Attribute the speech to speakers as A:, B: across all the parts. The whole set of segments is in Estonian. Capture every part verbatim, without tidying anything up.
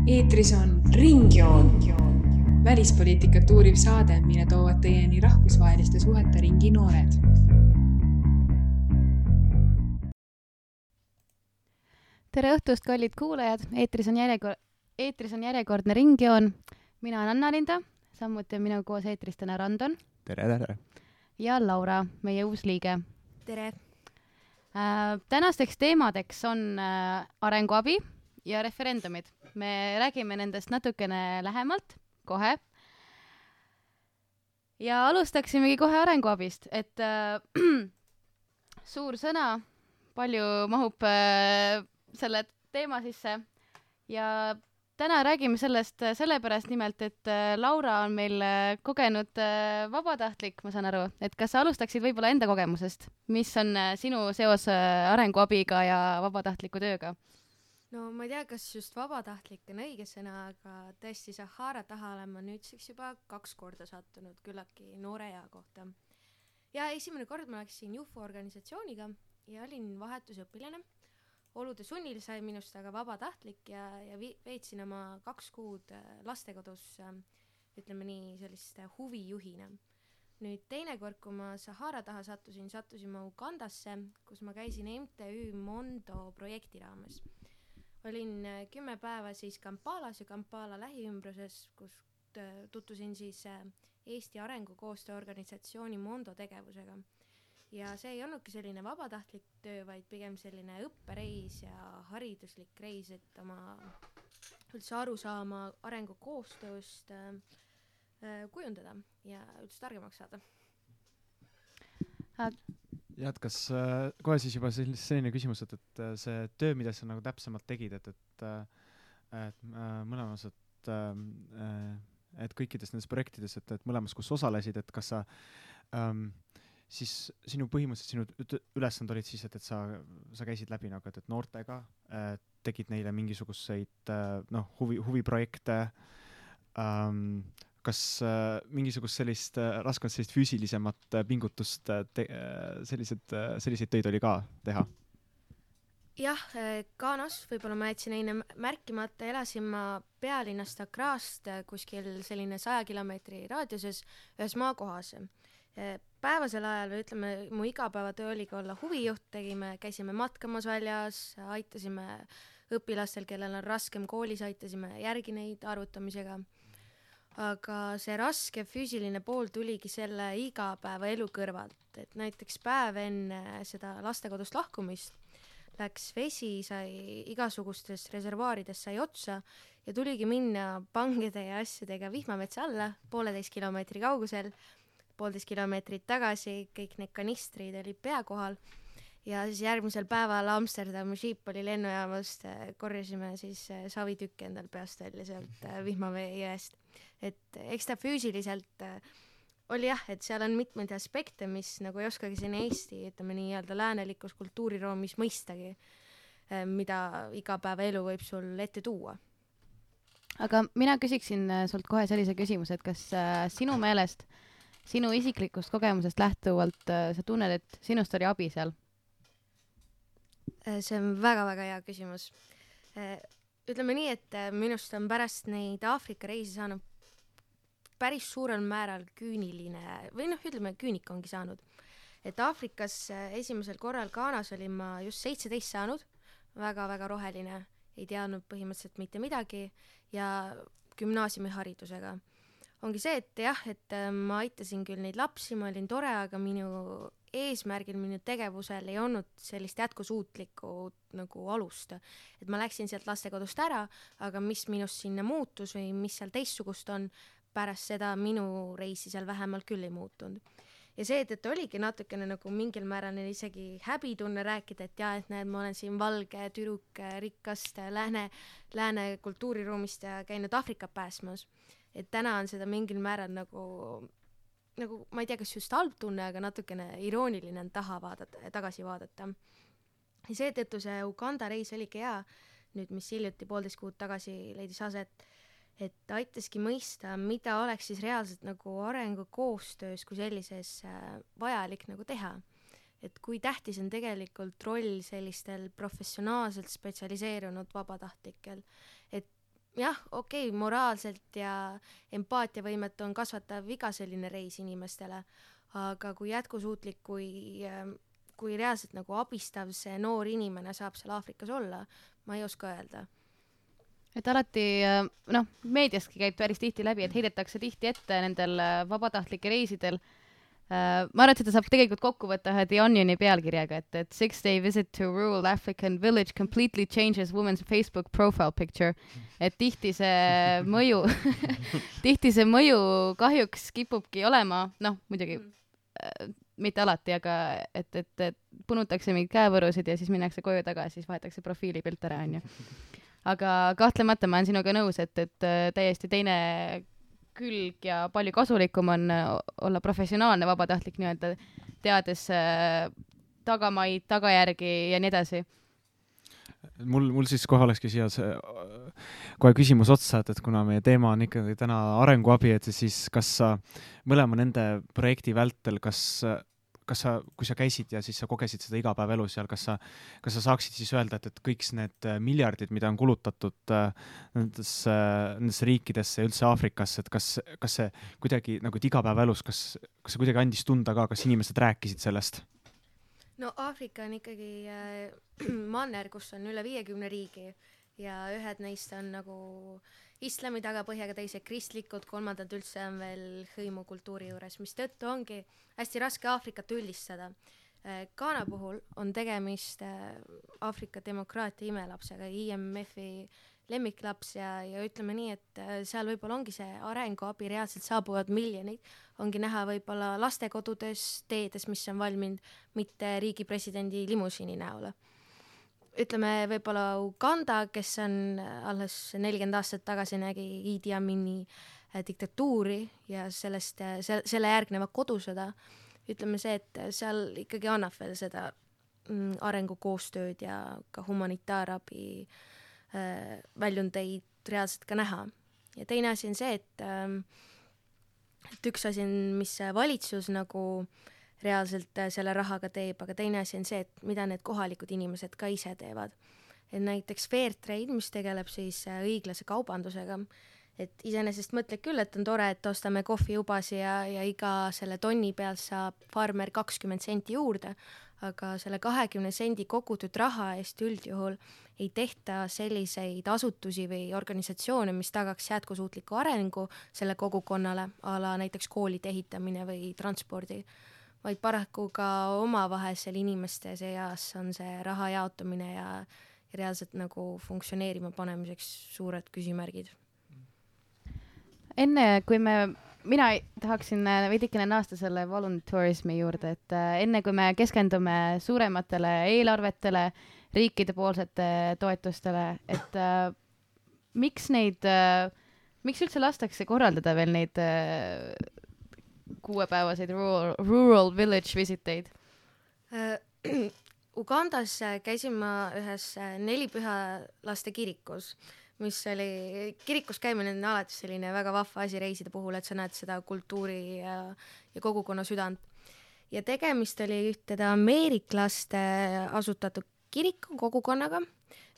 A: Eetris on Ringjoon, välispoliitikat uuriv saade, mille toovad teieni rahvusvaheliste suhete ringi noored.
B: Tere õhtust, kallid kuulajad! Eetris on, järjekor- Eetris on järjekordne Ringjoon. Mina olen Anna-Linda, samuti on minu koos eetris täna Randon.
C: Tere, tere!
B: Ja Laura, meie uus liige.
D: Tere!
B: Äh, tänasteks teemadeks on äh, arenguabi ja referendumid. Me räägime nendest natukene lähemalt, kohe. Ja alustaksimegi kohe arenguabist, et äh, suur sõna, palju mahub äh, selle teema sisse. Ja täna räägime sellest sellepärast nimelt, et äh, Laura on meil äh, kogenud äh, vabatahtlik, ma saan aru. Et kas sa alustaksid võib-olla enda kogemusest? Mis on äh, sinu seos äh, arenguabiga ja vabatahtliku tööga?
D: No ma ei tea, kas just vabatahtlik on õige sõna, aga tõesti Sahara taha olen ma nüüdseks juba kaks korda sattunud küllaltki noore ea kohta. Ja esimene kord ma läksin J U F O organisatsiooniga ja olin vahetusõpilane. Olude sunnil sai minust aga vabatahtlik ja, ja vi- veetsin oma kaks kuud lastekodus, ütleme nii, sellist huvijuhina. Nüüd teine kord, kui ma Sahara taha sattusin, sattusin ma Ugandasse, kus ma käisin M T Ü Mondo projekti raames. Olin kümme päeva siis Kampalas ja Kampala lähiümbruses, kus tuttusin siis Eesti Arengukoostöö organisatsiooni Mondo tegevusega. Ja see ei olnudki selline vabatahtlik töö, vaid pigem selline õppereis ja hariduslik reis, et oma üldse aru saama arengukoostööst äh, kujundada ja üldse targemaks saada.
C: Ja et kas äh, kohe siis juba selline küsimus, et, et see töö, mida sa nagu täpsemalt tegid, et, et, et äh, mõlemas, et, äh, et kõikides nendes projektides, et, et mõlemas, kus osalesid, et kas sa ähm, siis sinu põhimõtteliselt sinu ülesand olid siis, et, et sa, sa käisid läbi nagu, et, et noortega äh, tegid neile mingisuguseid äh, noh, huvi, huviprojekte, ähm, kas äh, mingisugust sellist äh, raskelt sellist füüsilisemat äh, pingutust äh, te, äh, sellised, äh, selliseid töid oli ka teha?
D: Jah, Ghanas, võib-olla ma jätsin eine märkimata, elasin ma pealinnast Accrast kuskil selline saja kilomeetri raadiuses ühes maakohas. Päevasel ajal, või ütleme, mu igapäevatöö oligi olla huvijuht, tegime, käisime matkamas väljas, aitasime õpilastel, kellel on raskem koolis, aitasime järgi neid arvutamisega. Aga see raske füüsiline pool tuligi selle igapäeva elu kõrvalt, et näiteks päev enne seda lastekodust lahkumist läks vesi, sai igasugustes reservaarides sai otsa ja tuligi minna pangede ja asjadega vihmametsa alla pooleteist kilomeetri kaugusel, poolteist kilomeetrit tagasi, kõik need kanistrid oli pea kohal ja siis järgmisel päeval Amsterdami Schipholi lennujaamast korjasime siis savitükki endal peast välja sealt vihmavee jääst. Et eks ta füüsiliselt oli jah, et seal on mitmeid aspekte, mis nagu ei oskagi siin Eesti, ütleme nii-öelda läänelikus kultuuriroomis mõistagi, mida iga päeva elu võib sul ette tuua.
B: Aga mina küsiksin sult kohe sellise küsimuse, et kas äh, sinu meelest, sinu isiklikust kogemusest lähtuvalt äh, sa tunned, et sinust oli abi seal?
D: See on väga-väga hea küsimus. Ütleme nii, et minust on pärast neid Aafrika reisi saanud päris suurel määral küüniline, või noh, ütleme, küünik ongi saanud. Et Aafrikas esimesel korral Ghanas olin ma just seitseteist saanud, väga-väga roheline, ei teadnud põhimõtteliselt mitte midagi ja gümnaasiumiharidusega. Ongi see, et jah, et ma aitasin küll neid lapsi, ma olin tore, aga minu eesmärgil, minu tegevusel ei olnud sellist jätkusuutlikku nagu alust. Et ma läksin sealt lastekodust ära, aga mis minust sinna muutus või mis seal teistsugust on, pärast seda minu reisi seal vähemalt küll ei muutunud. Ja see, et, et oligi natukene nagu mingil määral isegi häbitunne rääkida, et jah, et näed, ma olen siin valge, tüdruk, rikkast lääne, lääne kultuuriruumist ja käinud Aafrikat pääsmas. Et täna on seda mingil määral nagu, nagu ma ei tea, kas just halb tunne, aga natukene irooniline on taha vaadata, tagasi vaadata. Ja seetõttu see Uganda reis oligi hea, nüüd mis hiljuti poolteist kuud tagasi leidis aset, et aitaski mõista, mida oleks siis reaalselt nagu arengukoostöös kui sellises vajalik nagu teha. et kui tähtis on tegelikult roll sellistel professionaalselt spetsialiseerunud vabatahtlikel, et jah, okei okay,, moraalselt ja empaatiavõimet on kasvatav iga selline reis inimestele, aga kui jätkusuutlik, kui, kui reaalselt nagu abistav see noor inimene saab seal Aafrikas olla, ma ei oska öelda.
B: Et alati, noh, meediaski käib päris tihti läbi, et heidetakse tihti ette nendel vabatahtlike reisidel. Ma arvan, et seda saab tegelikult kokku võtta ühe The Onioni pealkirjaga, et, et six day visit to rural African village completely changes women's Facebook profile picture. Et tihti see mõju, tihti see mõju kahjuks kipubki olema, noh, muidugi äh, mitte alati, aga et, et, et punutakse mingid käevõrusid ja siis minnakse koju tagasi, siis vahetakse profiilipilt ära, on ju. Aga kahtlemata ma olen sinuga nõus, et, et täiesti teine külg ja palju kasulikum on olla professionaalne vabatahtlik nii-öelda, teades äh, tagamaid, tagajärgi ja nii edasi.
C: Mul, mul siis kohe olekski siia see, kohe küsimus otsa, et, et kuna meie teema on ikkagi täna arenguabi, et siis kas sa mõlema nende projekti vältel, kas kas sa, kui sa käisid ja siis sa kogesid seda igapäevaelu seal, kas sa, kas sa saaksid siis öelda, et, et kõik need miljardid, mida on kulutatud nendes, nendes riikidesse ja üldse Aafrikasse, et kas, kas see kuidagi nagu igapäevaelus, kas, kas see kuidagi andis tunda ka, kas inimesed rääkisid sellest?
D: No Aafrika on ikkagi äh, manner, kus on üle viiekümne riigi ja ühed neist on nagu islami tagapõhjaga, teised kristlikud, kolmandad üldse on veel hõimukultuuri juures, mis tõttu ongi hästi raske Aafrikat üldistada. Ghana puhul on tegemist Aafrika demokraatia imelapsega, I M F-i lemmiklaps ja, ja ütleme nii, et seal võib-olla ongi see arenguabi, reaalselt saabuvad miljonid, ongi näha võib-olla lastekodudes, teedes, mis on valminud, mitte riigi presidendi limusiini näole. Ütleme võib-olla Uganda, kes on alles nelikümmend aastat tagasi nägi Idi Amini diktatuuri ja sellest, se- selle järgneva kodusõda, ütleme see, et seal ikkagi annab veel seda mm, arengukoostööd ja ka humanitaarabi äh, väljundeid reaalselt ka näha. Ja teine asi on see, et, äh, et üks asi on, mis valitsus nagu reaalselt selle rahaga teeb, aga teine asi on see, et mida need kohalikud inimesed ka ise teevad. Et näiteks Fairtrade, mis tegeleb siis õiglase kaubandusega, et iseenesest mõtled küll, et on tore, et ostame kohvijubasi ja, ja iga selle tonni peal saab farmer kakskümmend senti juurde, aga selle kahekümne sendi kogutud raha eest üldjuhul ei tehta selliseid asutusi või organisatsioone, mis tagaks jätkusuutliku arengu selle kogukonnale, ala näiteks koolide ehitamine või transpordi, vaid paraku ka omavahelisel inimeste seas on see raha jaotumine ja, ja reaalselt nagu funktsioneerima panemiseks suured küsimärgid.
B: Enne, kui me, mina tahaksin veidikene naasta selle voluntourismi juurde, et enne kui me keskendume suurematele eelarvetele, riikide poolsete toetustele, et äh, miks neid, äh, miks üldse lastakse korraldada veel neid äh, kuuepäevaseid rural, rural village visiteid?
D: Uh, Ugandas käisin ma ühes nelipüha laste kirikus, mis oli, kirikus käimine on alati selline väga vahva asi reiside puhul, et sa näed seda kultuuri ja, ja kogukonna südant. Ja tegemist oli ühted ameeriklaste asutatud kiriku kogukonnaga,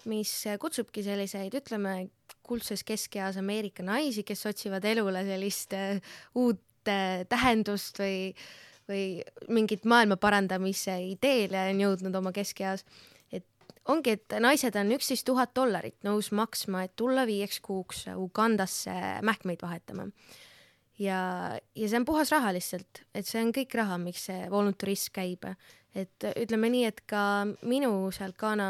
D: mis kutsubki selliseid, ütleme, kuldses keskeas Ameerika naisi, kes otsivad elule sellist uut tähendust või, või mingit maailma parandamise ideele on jõudnud oma keskeas. Et ongi, et naised on üksteist tuhat dollarit nõus maksma, et tulla viieks kuuks Ugandasse mähkmeid vahetama. Ja, ja see on puhas raha lihtsalt, et see on kõik raha, miks see volunturism käib. Et ütleme nii, et ka minu seal Ghana,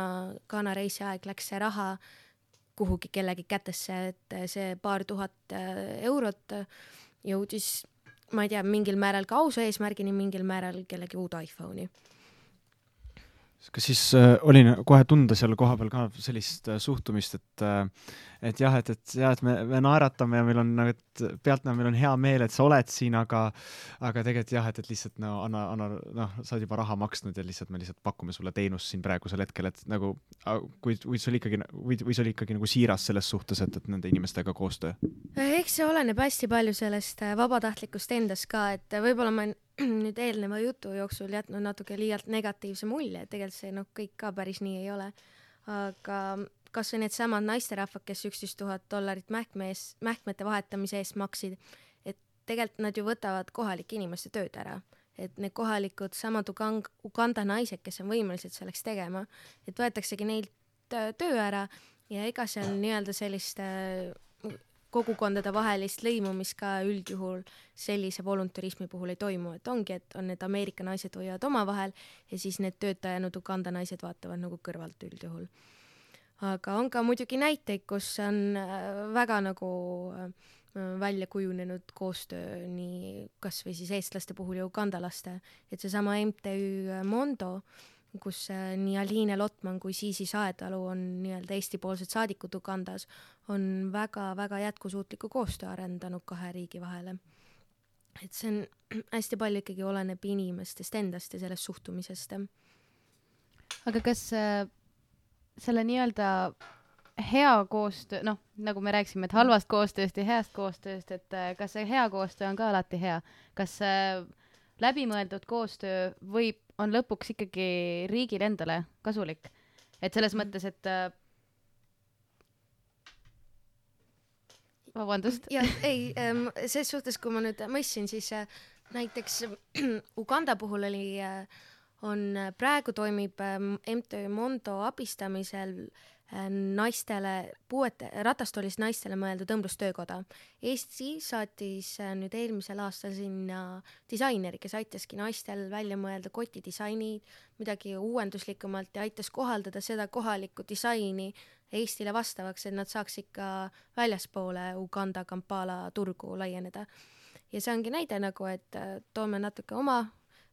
D: Ghana reisi aeg läks see raha kuhugi kellegi kätesse, et see paar tuhat eurot jõudis, ma ei tea, mingil määral ka ausa eesmärgini, mingil määral kellegi uud iPhone'i.
C: Kas siis äh, oli kohe tunda seal koha peal ka sellist äh, suhtumist, et, äh, et jah, et, et, jah, et me, me naeratame ja meil on, nagu, et pealt meil on hea meel, et sa oled siin, aga, aga tegelikult jah, et, et lihtsalt no, anna, anna, noh, sa oled juba raha maksnud ja lihtsalt me lihtsalt pakume sulle teenust siin praegusel hetkel, et nagu, kui, või see oli ikkagi, või, või see oli ikkagi nagu siiras selles suhtes, et, et nende inimestega koostöö?
D: Eks see oleneb hästi palju sellest vabatahtlikust endast ka, et võib-olla ma nüüd eelneva jutu jooksul jätnud natuke liialt negatiivse mulje, et tegelikult see noh, kõik ka päris nii ei ole. Aga kas või need samad naisterahvad, kes üksteist tuhat dollarit mähkmees, mähkmete vahetamise eest maksid, et tegelikult nad ju võtavad kohalike inimeste tööd ära. Et need kohalikud samad Ugand, Uganda naised, kes on võimelised selleks tegema, et võetaksegi neilt töö ära ja ega seal nii-öelda sellist kogukondade vahelist lõimumist ka üldjuhul sellise voluntarismi puhul ei toimu, et ongi, et on need Ameerika naised hoiavad omavahel ja siis need töötajanud Uganda naised vaatavad nagu kõrvalt üldjuhul. Aga on ka muidugi näiteid, kus on väga nagu välja kujunenud koostöö nii kas või siis eestlaste puhul ja ugandalaste, et seesama M T Ü Mondo, kus nii Aliine Lotman kui Siisi Saetalu on nii-öelda Eesti-poolsed saadikud Ugandas, on väga-väga jätkusuutliku koostöö arendanud kahe riigi vahele. Et see on hästi palju ikkagi oleneb inimestest endast ja sellest suhtumisest.
B: Aga kas äh, selle nii-öelda hea koostöö, noh, nagu me rääksime, et halvast koostööst ja heast koostööst, et äh, kas see hea koostöö on ka alati hea? Kas äh, läbimõeldud koostöö võib on lõpuks ikkagi riigil endale kasulik. Et selles mõttes, et äh, vabandust.
D: Ja, ei, ähm, selles suhtes, kui ma nüüd mõistsin, siis äh, näiteks Uganda puhul oli, äh, on praegu toimib äh, M T Ü Mondo abistamisel äh, naistele, puuete, ratastoolist naistele mõeldud õmblustöökoda. Eesti saatis äh, nüüd eelmisel aastal sinna disaineri, kes aitaski naistel välja mõelda kotidisainid, midagi uuenduslikumalt ja aitas kohaldada seda kohalikku disaini Eestile vastavaks, et nad saaks ikka väljaspoole Uganda Kampala turgu laieneda. Ja see ongi näide nagu, et toome natuke oma,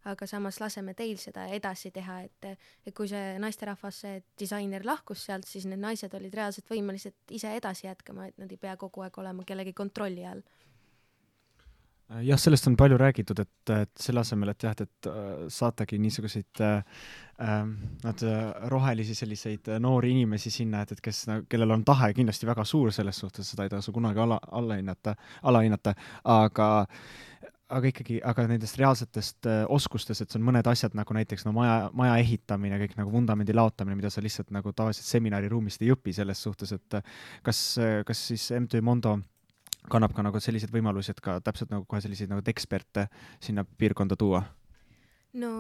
D: aga samas laseme teil seda edasi teha, et, et kui see naisterahvas, see disainer lahkus sealt, siis need naised olid reaalselt võimelised ise edasi jätkama, et nad ei pea kogu aeg olema kellegi kontrolli all.
C: Jah, sellest on palju räägitud, et, et selle asemel, et jah, et saatagi niisuguseid äh, nad, rohelisi selliseid noori inimesi sinna, et, et kes, kellel on tahe kindlasti väga suur selles suhtes, seda ei tasu kunagi ala, alla hinnata, ala hinnata, aga aga ikkagi, aga nendest reaalsetest äh, oskustest, et see on mõned asjad nagu näiteks no, maja, maja ehitamine, kõik nagu vundamendi laotamine, mida sa lihtsalt nagu tavaliselt seminariruumist ei õpi selles suhtes, et kas, kas siis M T Ü Mondo kannab ka nagu sellised võimalusi, et ka täpselt nagu kohe selliseid nagu eksperte sinna piirkonda tuua?
D: No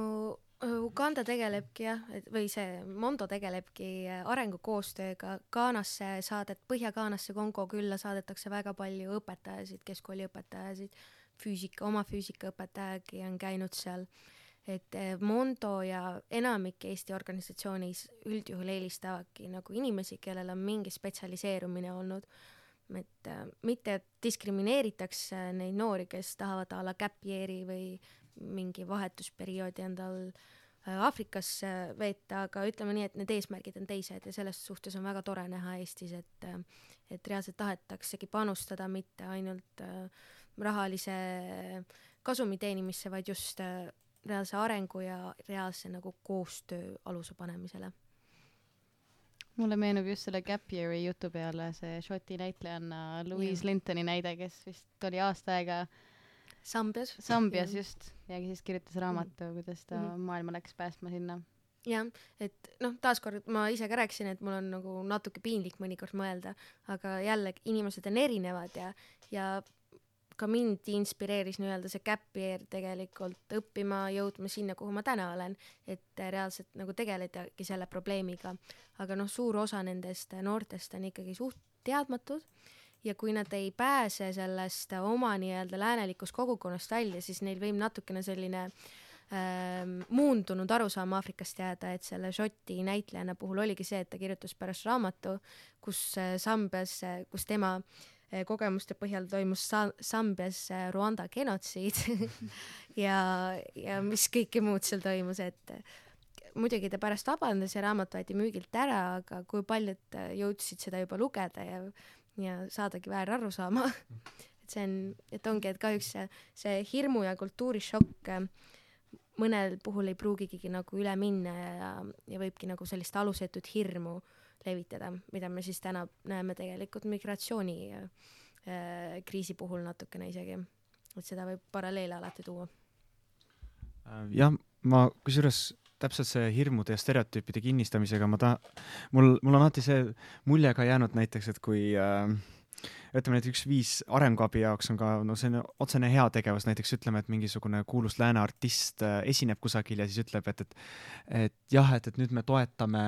D: Uganda tegelebki jah, või see Mondo tegelebki arengukoostööga. Gaanasse saadet, Põhja-Gaanasse Kongo külla saadetakse väga palju õpetajasid, keskkooli õpetajasid, füüsika, oma füüsikaõpetajagi on käinud seal, et Mondo ja enamik Eesti organisatsioonis üldjuhul eelistavadki nagu inimesi, kellel on mingi spetsialiseerumine olnud, et mitte diskrimineeritakse neid noori, kes tahavad a la gap year'i või mingi vahetusperioodi endal Aafrikas veeta, aga ütleme nii, et need eesmärgid on teised ja selles suhtes on väga tore näha Eestis, et, et reaalselt tahetaksegi panustada mitte ainult rahalise kasumi teenimisse, vaid just reaalse arengu ja reaalse nagu koostöö aluse panemisele.
B: Mulle meenub just selle Gap Year'i jutu peale see Šoti näitlejanna Louise ja. Lintoni näide, kes vist oli aasta aega
D: Sambias.
B: Sambias just, ja siis kirjutas raamatu, mm. kuidas ta mm. maailma läks päästma sinna.
D: Jah, et noh, taaskord ma ise ka rääkisin, et mul on nagu natuke piinlik mõnikord mõelda, aga jälle inimesed on erinevad ja, ja ka mind inspireeris nii-öelda see gap year tegelikult õppima, jõudma sinna, kuhu ma täna olen, et reaalselt nagu tegeledagi selle probleemiga. Aga noh, suur osa nendest noortest on ikkagi suht teadmatud ja kui nad ei pääse sellest oma nii-öelda läänelikust kogukonnast välja, siis neil võib natukene selline ähm, muundunud arusaam Aafrikast jääda, et selle Šoti näitlejana puhul oligi see, et ta kirjutas pärast raamatu, kus Sambias, kus tema kogemuste põhjal toimus Sa- Sambias Rwanda genotsiid ja, ja mis kõike muud seal toimus, et muidugi ta pärast vabandas ja raamat võeti müügilt ära, aga kui paljud jõudsid seda juba lugeda ja, ja saadagi väär aru saama et see on, et ongi, et kahjuks see, see hirmu ja kultuurishokk mõnel puhul ei pruugigi nagu üle minna ja, ja võibki nagu sellist alusetut hirmu levitada, mida me siis täna näeme tegelikult migratsiooni äh, kriisi puhul natukene isegi, et seda võib paralleele alati tuua.
C: jah, ma kusjuures täpselt see hirmude ja stereotüüpide kinnistamisega ma ta-, mul, mul on alati see mulje ka jäänud näiteks, et kui äh, ütleme, et üks viis arenguabi jaoks on ka no see on otsene heategevus, näiteks ütleme, et mingisugune kuulus lääne artist äh, esineb kusagil ja siis ütleb, et, et, et jah, et, et nüüd me toetame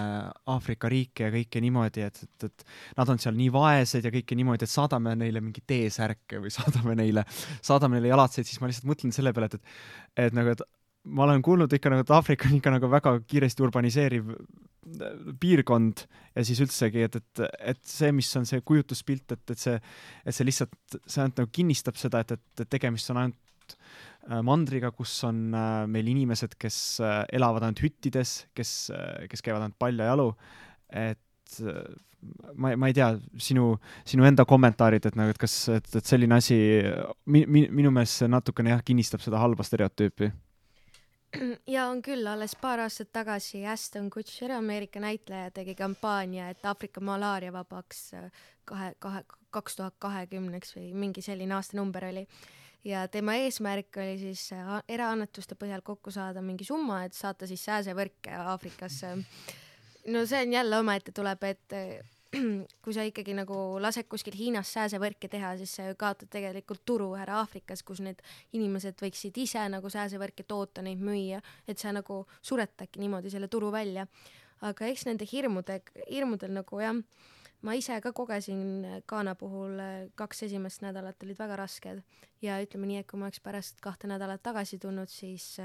C: Aafrika riike ja kõike niimoodi, et, et, et nad on seal nii vaesed ja kõike niimoodi, et saadame neile mingi T-särke või saadame neile, saadame neile jalatseid, siis ma lihtsalt mõtlen selle peale, et, et, et nagu, et ma olen kuulnud ikka nagu, et Aafrika on ikka nagu väga kiiresti urbaniseeriv piirkond ja siis üldsegi, et, et, et see, mis on see kujutuspilt, et, et see, et see lihtsalt, see ainult nagu kinnistab seda, et, et tegemist on ainult mandriga, kus on meil inimesed, kes elavad ainult hüttides, kes, kes käivad ainult paljajalu, et ma, ma ei tea, sinu, sinu enda kommentaarid, et nagu, et kas, et, et selline asi mi, mi, minu meelest see natukene jah, kinnistab seda halba stereotüüpi.
D: Ja on küll, alles paar aastat tagasi Aston Kutcher, Ameerika näitleja, tegi kampaania, et Aafrika malaaria vabaks kahe, kahe, kaks tuhat kahekümneks või mingi selline aastanumber oli. Ja tema eesmärk oli siis eraannetuste põhjal kokku saada mingi summa, et saata siis sääsevõrke Aafrikasse. No see on jälle omaette tuleb, et kui sa ikkagi nagu lased kuskil Hiinas sääsevõrke teha, siis sa kaotad tegelikult turu ära Aafrikas, kus need inimesed võiksid ise nagu sääsevõrke toota, neid müüa, et sa nagu suretadki niimoodi selle turu välja. Aga eks nende hirmude, hirmudel nagu jah, ma ise ka kogesin Ghana puhul kaks esimest nädalat olid väga rasked ja ütleme nii, et kui ma oleks pärast kahte nädalat tagasi tulnud, siis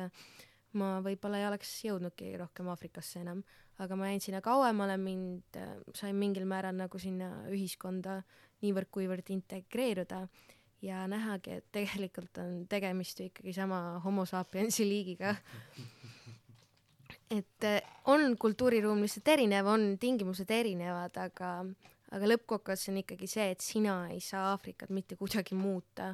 D: ma võib-olla ei oleks jõudnudki rohkem Aafrikasse enam, aga ma jäin sinna kauemale, mind sain mingil määral nagu sinna ühiskonda niivõrd kuivõrd integreeruda ja nähagi, et tegelikult on tegemist ikkagi sama homo sapiensi liigiga. Et on kultuuriruum lihtsalt erinev, on tingimused erinevad, aga, aga lõppkokkuvõttes on ikkagi see, et sina ei saa Aafrikat mitte kuidagi muuta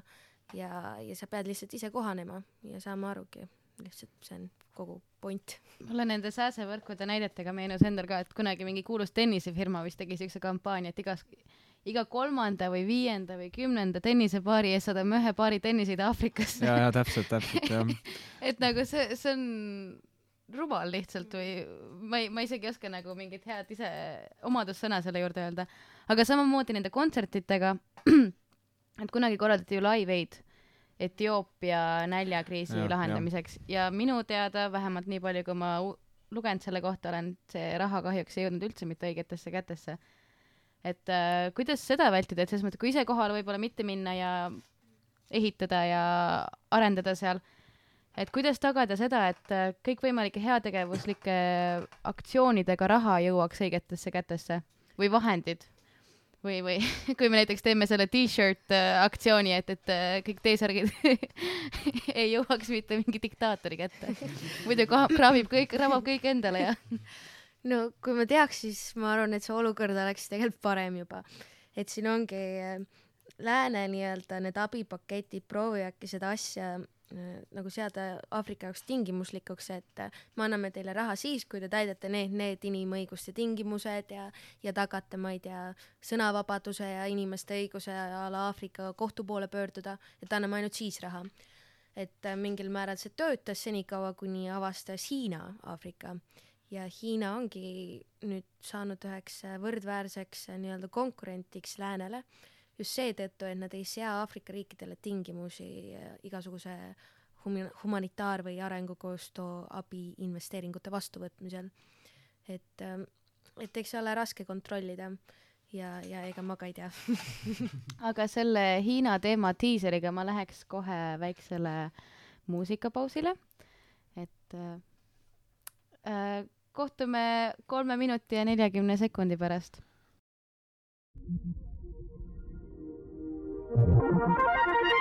D: ja, ja sa pead lihtsalt ise kohanema ja saama arugi. Lihtsalt see on kogu point.
B: Mulle nende sääsevõrkude näidetega meenus endal ka, et kunagi mingi kuulus tennisefirma vist tegi siukse kampaania, et igas, iga kolmanda või viienda või kümnenda tennisepaari ees saadame ühe paari tenniseid Aafrikasse.
C: Ja, ja täpselt, täpselt, jah.
B: et nagu see, see on rumal lihtsalt või ma ei, ma isegi oska nagu mingit head ise omadussõna selle juurde öelda. Aga samamoodi nende kontsertitega, et kunagi korraldati ju Live Aid Etioopia näljakriisi ja, lahendamiseks ja. ja minu teada, vähemalt nii palju, kui ma lugenud selle kohta olen, see raha kahjuks ei jõudnud üldse mitte õigetesse kätesse. Et äh, kuidas seda vältida, et selles mõttes, kui ise kohale võib-olla mitte minna ja ehitada ja arendada seal, et kuidas tagada seda, et kõik võimalike heategevuslike aktsioonidega raha jõuaks õigetesse kätesse või vahendid? Või, või kui me näiteks teeme selle t-shirt aktsiooni, et, et kõik T-särgid ei jõuaks mitte mingi diktaatori kätte. Muidu kraabib kõik, rabab kõik endale ja.
D: No kui ma teaks, siis ma arvan, et see olukord oleks tegelikult parem juba. Et siin ongi lääne nii-öelda need abipaketid proovijadki seda asja nagu seada Aafrika jaoks tingimuslikuks, et me anname teile raha siis, kui te täidate need, need inimõiguste tingimused ja, ja tagate, ma ei tea, sõnavabaduse ja inimeste õiguse ala Aafrika kohtu poole pöörduda, et anname ainult siis raha. Et mingil määral see töötas senikaua, kuni avastas Hiina Aafrika ja Hiina ongi nüüd saanud üheks võrdväärseks nii-öelda konkurentiks läänele, just seetõttu, et nad ei sea Aafrika riikidele tingimusi igasuguse humanitaar- või arengukoostöö abi investeeringute vastuvõtmisel. Et, et eks ole raske kontrollida ja, ja ega ma ka ei tea.
B: Aga selle Hiina teema tiiseriga ma läheks kohe väiksele muusikapausile. Et äh, kohtume kolme minuti ja neljakümne sekundi pärast.
E: We'll be right back.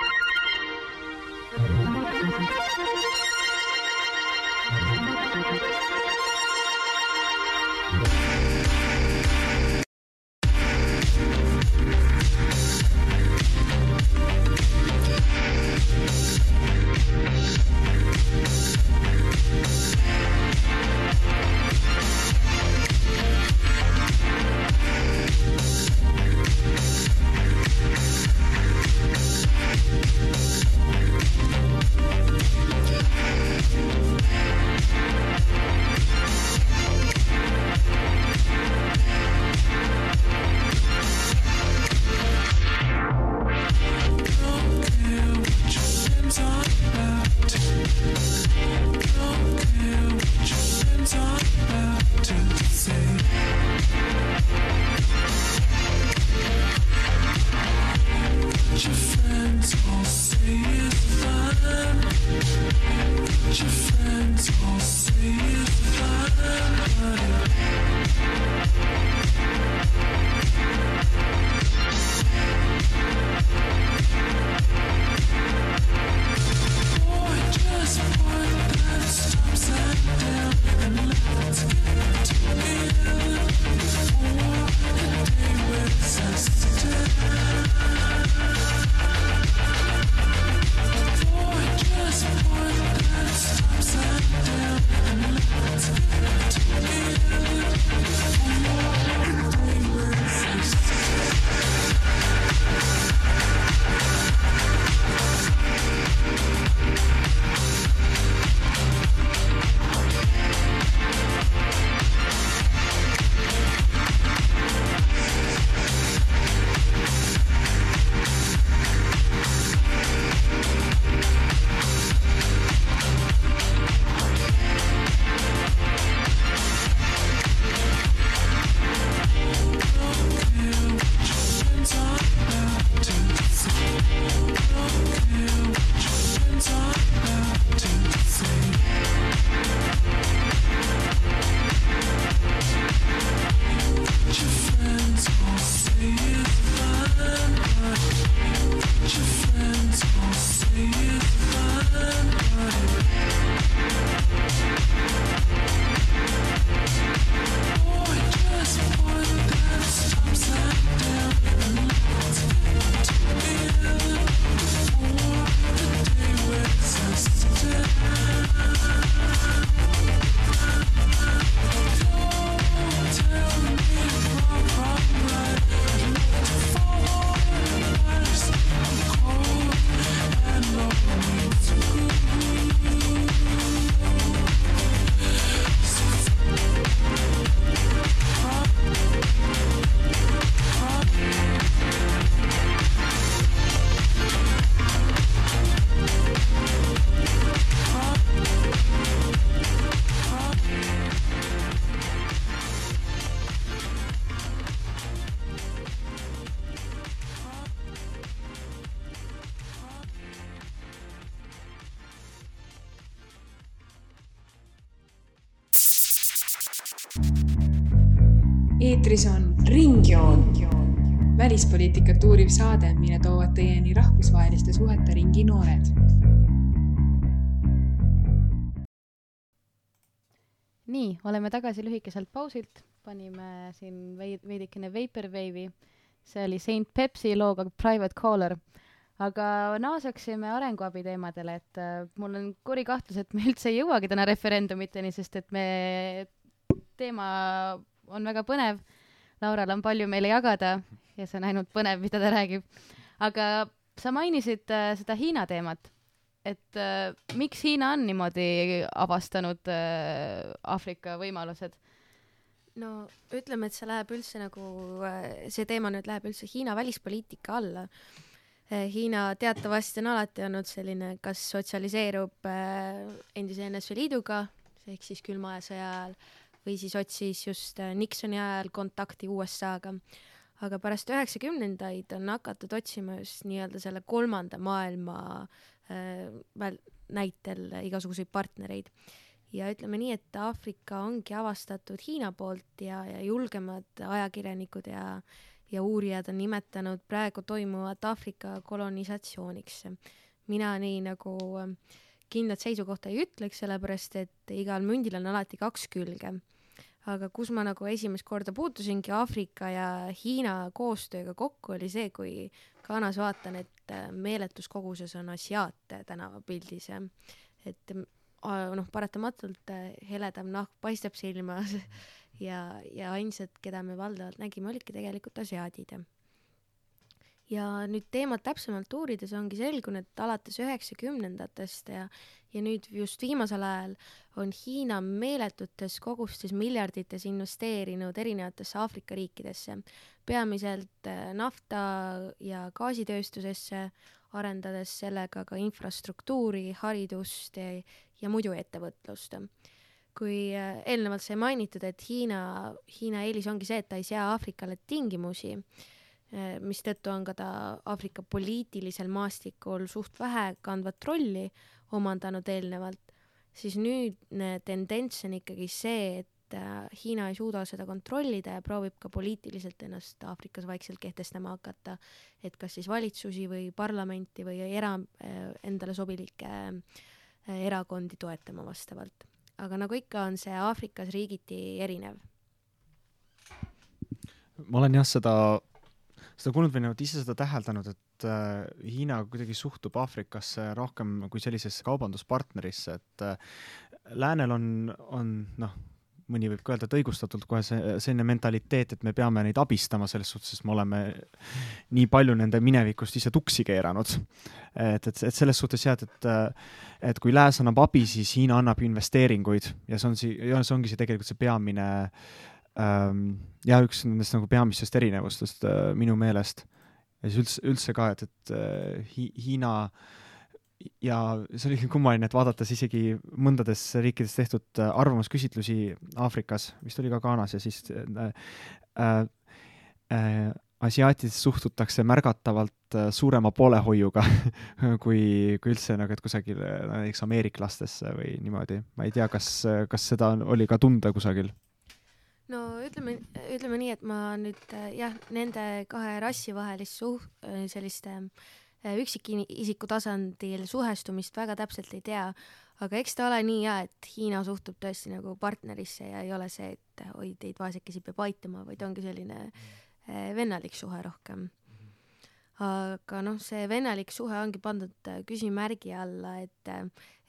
A: Eetris on Ringjoon, välispoliitikat uuriv saade, mille toovad teieni rahvusvaheliste suhete ringi noored.
B: Nii, oleme tagasi lühikeselt pausilt. Panime siin veidikene Vaporwave'i. See oli Saint Pepsi looga Private Caller. Aga naasaksime arenguabi teemadele, et äh, mul on kuri kahtlus, et me üldse ei jõuagi täna referendumiteni, sest et me teema on väga põnev. Laural on palju meile jagada ja see on ainult põnev, mida ta räägib. Aga sa mainisid äh, seda Hiina teemat, et äh, miks Hiina on niimoodi avastanud äh, Aafrika võimalused?
D: No ütleme, et see läheb üldse nagu, see teema nüüd läheb üldse Hiina välispoliitika alla. Hiina teatavasti on alati olnud selline, kas sotsialiseerub endise N S V Liiduga, ehk siis külma aja sõja ajal, või siis otsis just Nixoni ajal kontakti U S A-ga. Aga pärast üheksakümnendaid on hakatud otsima just nii-öelda selle kolmanda maailma äh, näitel igasuguseid partnereid. Ja ütleme nii, et Aafrika ongi avastatud Hiina poolt ja, ja julgemad ajakirjanikud ja ja uurijad on nimetanud praegu toimuvat Aafrika kolonisatsiooniks. Mina nii nagu kindlat seisukohta ei ütleks, sellepärast et igal mündil on alati kaks külge. Aga kus ma nagu esimest korda puutusingi Aafrika ja Hiina koostööga kokku, oli see, kui Ghanas vaatan, et meeletus koguses on asiaate tänavapildis. Et noh, paratamatult heledam nahk paistab silma ja, ja ainsad, keda me valdavalt nägime, olidki tegelikult asiaadid. Ja nüüd teemat täpsemalt uurides ongi selgunud, et alates üheksakümnendatest ja, ja nüüd just viimasel ajal on Hiina meeletutes kogustes miljardites investeerinud erinevatesse Aafrika riikidesse, peamiselt nafta ja gaasitööstusesse, arendades sellega ka infrastruktuuri, haridust ja, ja muidu ettevõtlust. Kui eelnevalt sai mainitud, et Hiina, Hiina eelis ongi see, et ta ei sea Aafrikale tingimusi, mis tõttu on ka ta Aafrika poliitilisel maastikul suht vähe kandvat rolli omandanud eelnevalt, siis nüüd tendents on ikkagi see, et Hiina ei suuda seda kontrollida ja proovib ka poliitiliselt ennast Aafrikas vaikselt kehtestama hakata, et kas siis valitsusi või parlamenti või era, endale sobilikke erakondi toetama vastavalt. Aga nagu ikka on see Aafrikas riigiti erinev.
C: Ma olen jah seda, seda kuulnud või ise seda täheldanud, et äh, Hiina kuidagi suhtub Aafrikasse rohkem kui sellisesse kaubanduspartnerisse, et äh, läänel on, on noh, mõni võib ka öelda, et õigustatult kohe see, selline mentaliteet, et me peame neid abistama selles suhtes, sest me oleme nii palju nende minevikust ise tuksi keeranud. Et, et, et selles suhtes jah, et, et kui lääs annab abi, siis Hiina annab investeeringuid ja see, on si, ja see ongi see tegelikult see peamine ähm, ja üks nendest nagu peamistest erinevustest äh, minu meelest. Ja siis üldse, üldse ka, et, et äh, Hi, Hiina ja see oli kummaline, et vaadates isegi mõndades riikides tehtud arvamusküsitlusi Aafrikas, vist oli ka Ghanas ja siis äh, äh, asiaatidest suhtutakse märgatavalt suurema poolehoiuga kui, kui üldse nagu, et kusagil näiteks ameeriklastesse või niimoodi. Ma ei tea, kas, kas seda oli ka tunda kusagil?
D: No ütleme, ütleme nii, et ma nüüd jah, nende kahe rassi vahelist suh, selliste üksikisiku tasandil suhestumist väga täpselt ei tea, aga eks ta ole nii ja, et Hiina suhtub tõesti nagu partnerisse ja ei ole see, et oi, teid vaesekesi peab aitama, vaid ongi selline vennalik suhe rohkem. Aga noh, see vennalik suhe ongi pandud küsimärgi alla, et,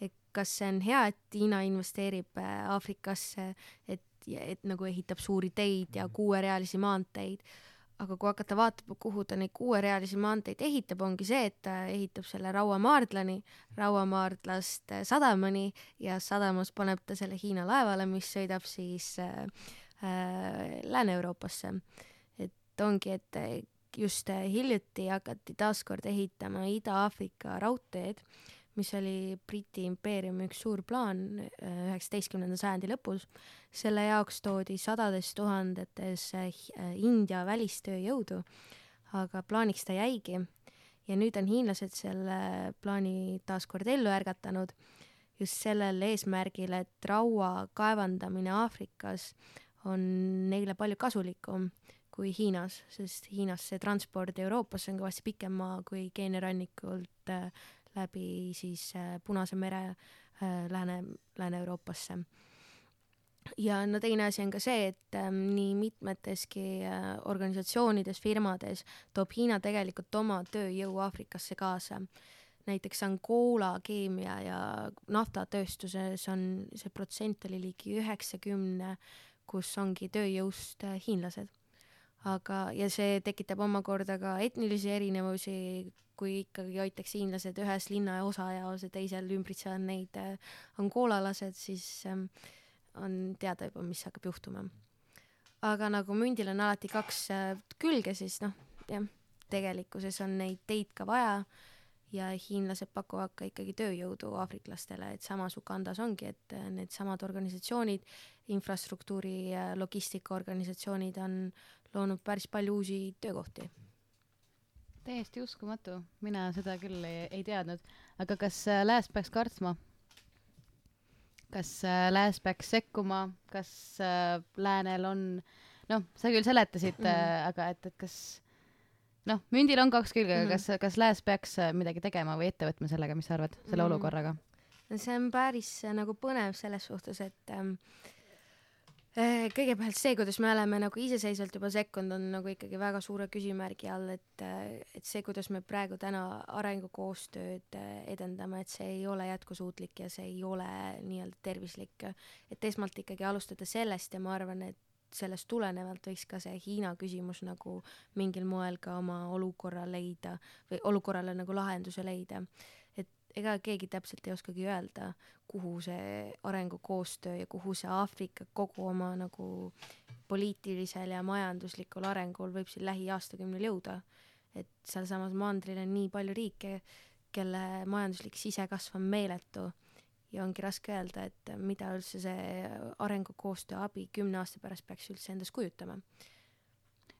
D: et kas see on hea, et Hiina investeerib Aafrikasse, et, et nagu ehitab suuri teid ja kuuerealisi maanteid. Aga kui hakata vaatama, kuhu ta neid kuuerealisi maanteid ehitab, ongi see, et ta ehitab selle Rauamaardlani, Rauamaardlast sadamani ja sadamas paneb ta selle Hiina laevale, mis sõidab siis äh, Lääne-Euroopasse. Et ongi, et just hiljuti hakati taaskord ehitama Ida-Aafrika raudteed, mis oli Briti impeeriumi üks suur plaan üheksateistkümnenda sajandi lõpus. Selle jaoks toodi sadades tuhandetes India välistööjõudu, aga plaaniks ta jäigi. Ja nüüd on hiinlased selle plaani taaskord ellu ärgatanud just sellel eesmärgil, et raua kaevandamine Aafrikas on neile palju kasulikum kui Hiinas, sest Hiinas see transport Euroopasse on kõvasti pikem maa kui Keenia rannikult äh, läbi siis äh, Punase mere äh, Lääne, Lääne-Euroopasse. Ja no teine asi on ka see, et ähm, nii mitmeteski äh, organisatsioonides, firmades toob Hiina tegelikult oma tööjõu Aafrikasse kaasa. Näiteks Angola keemia ja naftatööstuses on see protsent oli ligi üheksakümne, kus ongi tööjõust äh, hiinlased. Aga, ja see tekitab omakorda ka etnilisi erinevusi, kui ikkagi hoitaks hiinlased ühes linna ja osa ja see teisel ümbritsevad neid äh, angolalased, siis ähm, on teada juba, mis hakkab juhtuma. Aga nagu mündil on alati kaks äh, külge, siis noh, jah, tegelikkuses on neid teid ka vaja ja hiinlased pakuvad ka ikkagi tööjõudu aafriklastele, et samas Ugandas ongi, et äh, need samad organisatsioonid, infrastruktuuri ja logistikaorganisatsioonid on loonud päris palju uusi töökohti.
B: Täiesti uskumatu, mina seda küll ei, ei teadnud. Aga kas äh, Lääs peaks kartsma? Kas äh, Lääs peaks sekkuma? Kas äh, Läänel on, noh, sa küll seletasid, mm. äh, aga et, et kas, noh, mündil on kaks külge, mm. kas, kas Lääs peaks midagi tegema või ette võtma sellega, mis sa arvad, selle mm. olukorraga?
D: See on päris nagu põnev selles suhtes, et ähm, kõigepealt see, kuidas me oleme nagu iseseisvalt juba sekkunud, on nagu ikkagi väga suure küsimärgi all, et, et see, kuidas me praegu täna arengukoostööd edendame, et see ei ole jätkusuutlik ja see ei ole nii-öelda tervislik. Et esmalt ikkagi alustada sellest ja ma arvan, et sellest tulenevalt võiks ka see Hiina küsimus nagu mingil moel ka oma olukorra leida või olukorrale nagu lahenduse leida. Ega keegi täpselt ei oskagi öelda, kuhu see arengukoostöö ja kuhu see Aafrika kogu oma nagu poliitilisel ja majanduslikul arengul võib siin lähiaastakümnel jõuda. Et seal samas mandril on nii palju riike, kelle majanduslik sisekasv on meeletu ja ongi raske öelda, et mida üldse see arengukoostöö abi kümne aasta pärast peaks üldse endas kujutama.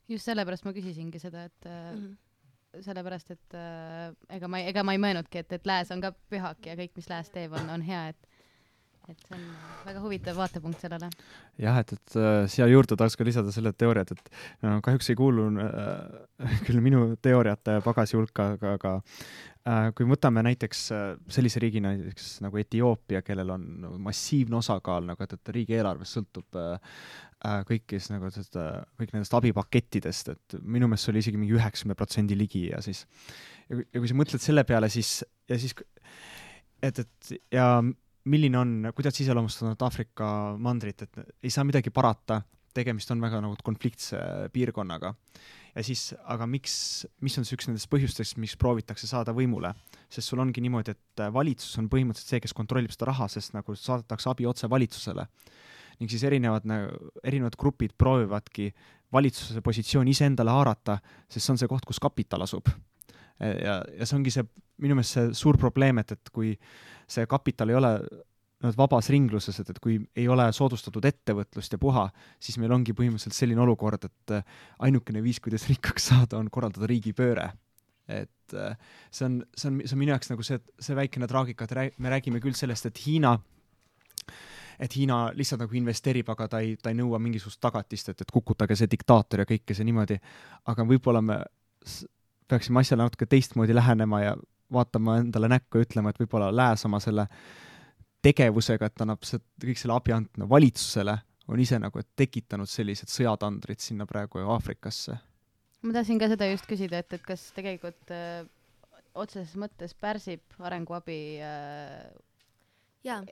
B: Just sellepärast ma küsisingi seda, et mm-hmm. sellepärast, et äh, ega ma, ega ma ei mõelnudki, et, et Lääs on ka pühak ja kõik, mis Lääs teeb, on, on hea, et, et see on väga huvitav vaatepunkt sellele.
C: Jah, et, et äh, siia juurde tahaks ka lisada selle teooriat, et no, kahjuks ei kuulu äh, küll minu teooriate pagasi hulka, aga, aga äh, kui võtame näiteks äh, sellise riigi näiteks nagu Etioopia, kellel on no, massiivne osakaal, nagu, et, et riigieelarves sõltub äh, kõikis nagu seda, kõik nendest abipakettidest, et minu meelest oli isegi mingi üheksakümne protsendi ligi ja siis ja kui, ja kui sa mõtled selle peale, siis ja siis et, et ja milline on, kuidas iseloomustanud Aafrika mandrit, et ei saa midagi parata, tegemist on väga nagu konfliktse piirkonnaga ja siis, aga miks, mis on see üks nendest põhjustest, miks proovitakse saada võimule, sest sul ongi niimoodi, et valitsus on põhimõtteliselt see, kes kontrollib seda raha, sest nagu saadetakse abi otse valitsusele ning siis erinevad, erinevad grupid proovivadki valitsuse positsiooni iseendale haarata, sest see on see koht, kus kapital asub. Ja, ja see ongi see, minu meelest see suur probleem, et, et kui see kapital ei ole no, vabas ringluses, et, et kui ei ole soodustatud ettevõtlust ja puha, siis meil ongi põhimõtteliselt selline olukord, et ainukene viis, kuidas rikkaks saada, on korraldada riigipööre. Et see on, see on, see on minu jaoks nagu see, see väikene traagika, et me räägime küll sellest, et Hiina et Hiina lihtsalt nagu investeerib, aga ta ei, ta ei nõua mingisugust tagatist, et, et kukutage see diktaator ja kõike see niimoodi. Aga võib-olla me peaksime asjale natuke teistmoodi lähenema ja vaatama endale näkku ja ütlema, et võib-olla Lääs oma selle tegevusega, et annab see, kõik selle abi andma valitsusele, on ise nagu tekitanud sellised sõjatandrid sinna praegu Aafrikasse.
B: Ma tahtsin ka seda just küsida, et, et kas tegelikult öö, otseses mõttes pärsib arenguabi öö...
D: jaa.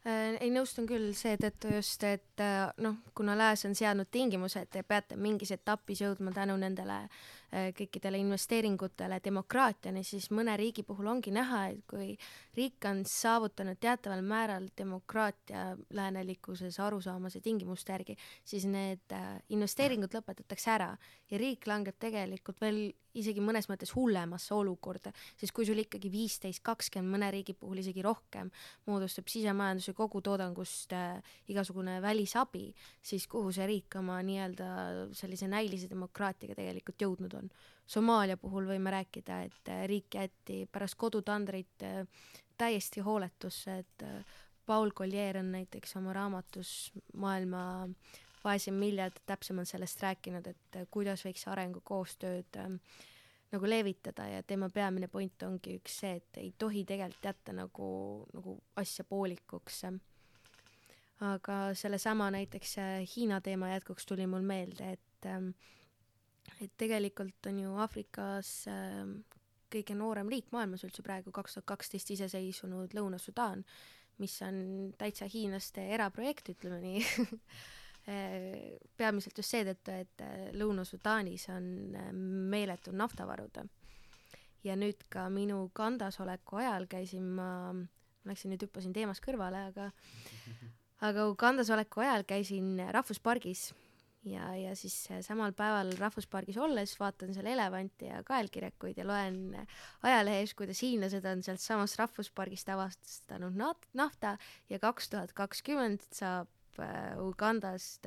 D: Ei nõustun küll seetõttu just, et noh, kuna Lääs on seadnud tingimused, et te peate mingis etapis jõudma tänu nendele kõikidele investeeringutele demokraatiani, siis mõne riigi puhul ongi näha, et kui riik on saavutanud teataval määral demokraatia läänelikkuses arusaamise tingimuste järgi, siis need investeeringud lõpetatakse ära ja riik langeb tegelikult veel isegi mõnes mõttes hullemasse olukorda, sest kui sul ikkagi viisteist kakskümmend mõne riigi puhul isegi rohkem moodustab sisemajanduse kogutoodangust äh, igasugune välisabi, siis kuhu see riik oma nii-öelda sellise näilise demokraatiaga tegelikult jõudnud on. Somaalia puhul võime rääkida, et äh, riik jäeti pärast kodutandrit äh, täiesti hooletusse, et äh, Paul Collier on näiteks oma raamatus maailma vaesem miljard täpsemalt sellest rääkinud, et kuidas võiks arengukoostööd ähm, nagu levitada ja tema peamine point ongi üks see, et ei tohi tegelikult jätta nagu, nagu asja poolikuks. Aga sellesama näiteks Hiina teema jätkuks tuli mul meelde, et, ähm, et tegelikult on ju Aafrikas ähm, kõige noorem riik maailmas üldse praegu kaks tuhat kaksteist iseseisvunud Lõuna-Sudaan, mis on täitsa hiinlaste eraprojekt, ütleme nii. Peamiselt just seetõttu, et Lõuna-Sudaanis on meeletu naftavarud. Ja nüüd ka minu Gandas oleku ajal käisin ma, ma läksin nüüd hüppasin teemast kõrvale, aga, aga Gandas oleku ajal käisin rahvuspargis ja, ja siis samal päeval rahvuspargis olles vaatan seal elevanti ja kaelkirekuid ja loen ajalehes, kuidas hiinlased on sealt samast rahvuspargist avastanud nafta ja kaks tuhat kakskümmend saab Ugandast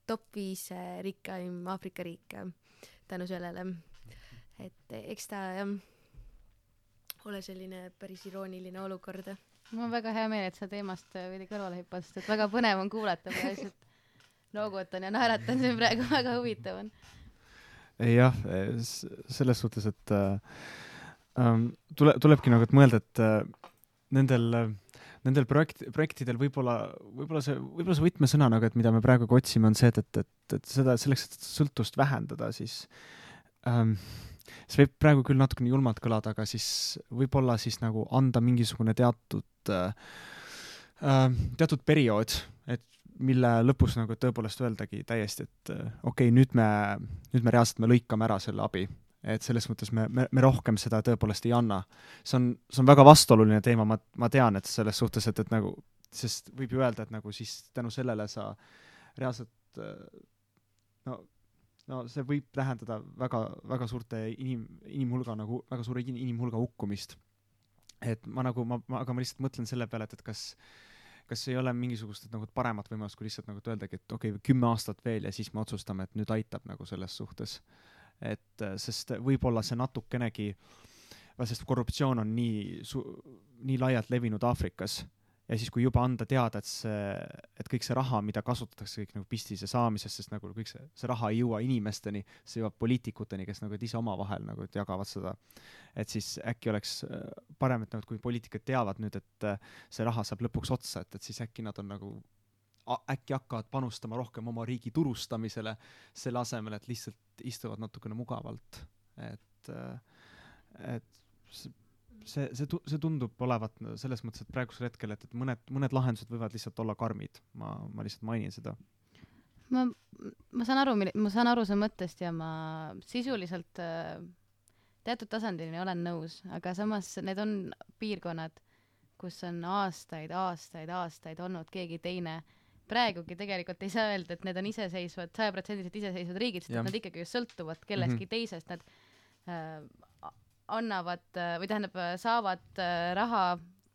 D: top viis rikkaim Aafrika riik tänu sellele. Et eks ta jah, ole selline päris irooniline olukord.
B: Mul on väga hea meel, et sa teemast veidi kõrvale hüppast, et väga põnev on kuulata, ma lihtsalt noogutan ja naeratan siin praegu, väga huvitav on.
C: Jah, selles suhtes, et äh, tule, tulebki nagu et mõelda, et äh, nendel äh, Nendel projekt, projektidel võib-olla, võib-olla see, võib-olla see võtmesõna, nagu, et mida me praegu otsime, on see, et, et, et, et seda, selleks, et sõltust vähendada, siis ähm, see võib praegu küll natukene julmalt kõlada, aga siis võib-olla siis nagu anda mingisugune teatud äh, teatud periood, et mille lõpus nagu tõepoolest öeldagi täiesti, et äh, okei, okay, nüüd me, nüüd me reaalselt me lõikame ära selle abi. Et selles mõttes me, me, me rohkem seda tõepoolest ei anna. See on, see on väga vastuoluline teema, ma, ma tean, et selles suhtes, et, et nagu, sest võib ju öelda, et nagu siis tänu sellele sa reaalselt, no, no see võib tähendada väga, väga suurte inim, inimhulga, nagu väga suure inimhulga hukkumist. Et ma nagu, ma, ma, aga ma lihtsalt mõtlen selle peale, et, et kas, kas ei ole mingisugust et, nagu paremat võimalust, kui lihtsalt nagu öeldagi, et okei, okay, kümme aastat veel ja siis me otsustame, et nüüd aitab nagu selles suhtes. Et sest võib-olla see natukenegi, sest korruptsioon on nii, su, nii laialt levinud Aafrikas ja siis kui juba anda teada, et, see, et kõik see raha, mida kasutatakse kõik nagu pistise saamisest, sest nagu kõik see, see raha ei jõua inimesteni, see jõuab poliitikuteni, kes nagu ise oma vahel nagu jagavad seda. Et siis äkki oleks parem, et nagu, kui poliitikud teavad nüüd, et see raha saab lõpuks otsa, et, et siis äkki nad on nagu äkki hakkavad panustama rohkem oma riigi turustamisele selle asemel, et lihtsalt istuvad natukene mugavalt. Et, et see, see, see tundub olevat selles mõttes, et praegusel hetkel, et, et mõned, mõned lahendused võivad lihtsalt olla karmid. Ma, ma lihtsalt mainin seda.
B: Ma, ma saan aru, ma saan aru see mõttest ja ma sisuliselt teatud tasandini olen nõus, aga samas need on piirkonnad, kus on aastaid, aastaid, aastaid olnud keegi teine. Praegugi tegelikult ei saa öelda, et need on iseseisvad, saja protsendiliselt iseseisvad riigid, sest nad ikkagi just sõltuvad kellestki mm-hmm. teisest. Nad äh, annavad äh, või tähendab, saavad äh, raha,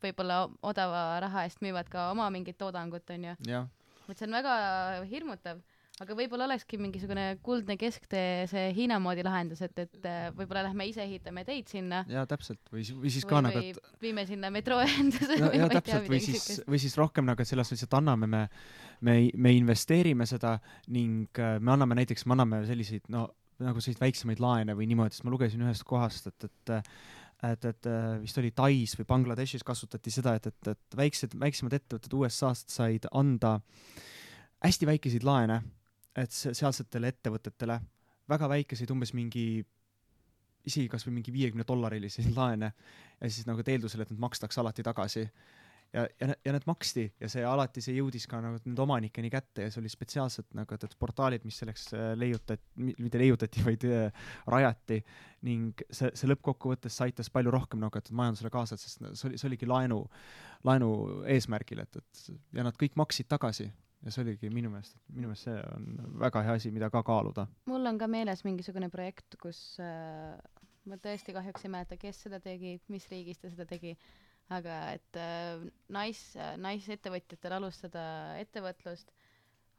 B: võib-olla odava raha eest müüvad ka oma mingit toodangut, on ju. Et see on väga hirmutav, aga võib-olla olekski mingisugune kuldne kesktee see Hiina moodi lahendus, et, et võib-olla lähme ise ehitame teid sinna.
C: Jaa, täpselt. Või, või siis ka
B: või,
C: nagu,
B: et... viime sinna metroühenduse.
C: Ja, ja täpselt, või siis, või siis rohkem nagu, et sellest lihtsalt anname, me, me, me investeerime seda ning me anname näiteks, me anname selliseid, no, nagu selliseid väiksemaid laene või niimoodi, sest ma lugesin ühest kohast, et, et et, et vist oli Tais või Bangladeshis kasutati seda, et, et, et väiksed, väiksemad ettevõtted U S A-st said anda hästi väikeseid laene, et sealsetele ettevõtetele väga väikeseid, umbes mingi isegi kas või mingi viiekümne dollarilisi laene ja siis nagu eeldusel, et need makstakse alati tagasi ja, ja, ja need maksti ja see alati see jõudis ka nagu nüüd omanikeni kätte ja see oli spetsiaalselt nagu et portaalid, mis selleks leiutati, mitte leiutati, vaid rajati ning see, see lõppkokkuvõttes aitas palju rohkem nagu et majandusele kaasa, sest see, oli, see oligi laenu, laenu eesmärgil, et, et ja nad kõik maksid tagasi. Ja see oligi minu meelest, minu meelest see on väga hea asi, mida ka kaaluda.
B: Mul on ka meeles mingisugune projekt, kus äh, ma tõesti kahjuks ei mäleta, kes seda tegi, mis riigis ta seda tegi, aga et äh, nais, naisettevõtjatel alustada ettevõtlust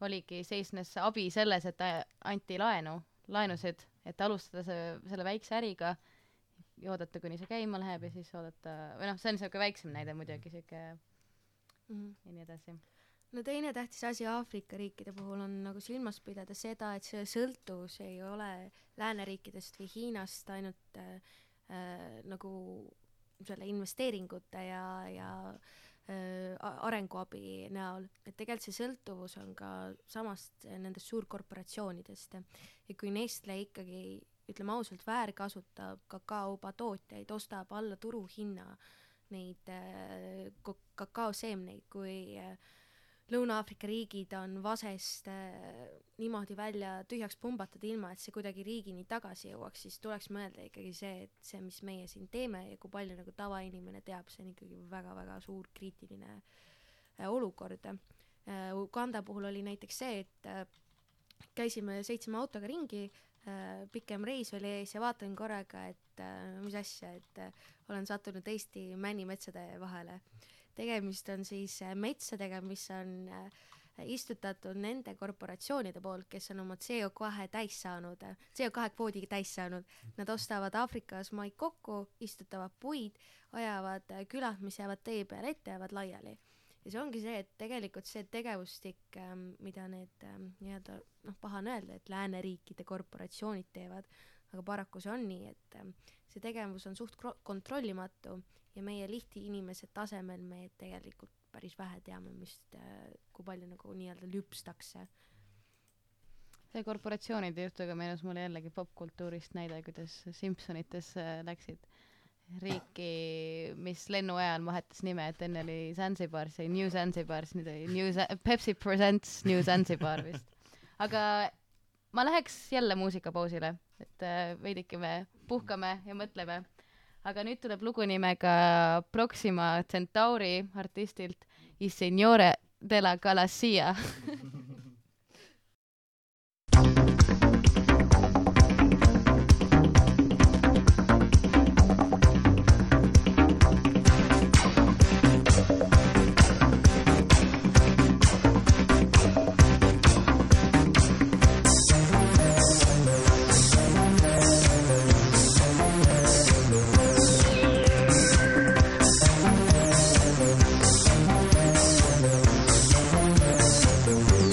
B: oligi seisnes abi selles, et anti laenu, laenusid, et alustada see, selle väikse äriga ja oodata, kuni see käima läheb ja siis oodata, või noh, see on selline väiksem näide muidugi, selline mm-hmm. ja nii edasi.
D: no teine tähtis asi Aafrika riikide puhul on nagu silmas pidada seda, et see sõltuvus ei ole lääneriikidest või Hiinast ainult äh, äh, nagu selle investeeringute ja, ja äh, arenguabi näol, et tegelikult see sõltuvus on ka samast nendest suurkorporatsioonidest ja kui Nestle ikkagi, ütleme ausalt, väärkasutab kakaoba tootjaid, ostab alla turuhinna neid äh, kakaoseemneid, kui äh, Lõuna-Aafrika riigid on vasest äh, niimoodi välja tühjaks pumbatud ilma, et see kuidagi riigini tagasi jõuaks, siis tuleks mõelda ikkagi see, et see, mis meie siin teeme ja kui palju nagu tavainimene teab, see on ikkagi väga-väga suur kriitiline äh, olukord. Äh, Uganda puhul oli näiteks see, et äh, käisime seitsme autoga ringi, äh, pikem reis oli ees ja vaatan korraga, et äh, mis asja, et äh, olen sattunud Eesti männimetsade vahele. Tegemist on siis metsadega, mis on istutatud nende korporatsioonide poolt, kes on oma C O kahe täis saanud, C O kahe kvoodi täis saanud. Nad ostavad Aafrikas maid kokku, istutavad puid, ajavad külad, mis jäävad tee peale ette, jäävad laiali. Ja see ongi see, et tegelikult see tegevustik, mida need nii-öelda, noh, paha on öelda, et lääneriikide korporatsioonid teevad, aga paraku see on nii, et see tegevus on suht kontrollimatu ja meie lihti inimese tasemel me tegelikult päris vähe teame, mis, kui palju nagu nii-öelda lüpstakse.
B: See korporatsioonide juhtuga meenus mulle jällegi popkultuurist näide, kuidas Simpsonites läksid riiki, mis lennu ajal vahetas nime, et enne oli Zanzibar, see New Zanzibar, nüüd oli New Z- Pepsi Presents New Zanzibar vist. Aga ma läheks jälle muusikapausile, et veidike me puhkame ja mõtleme. Aga nüüd tuleb lugu nimega Proxima Centauri artistilt I Signore della Galassia.
E: Thank you.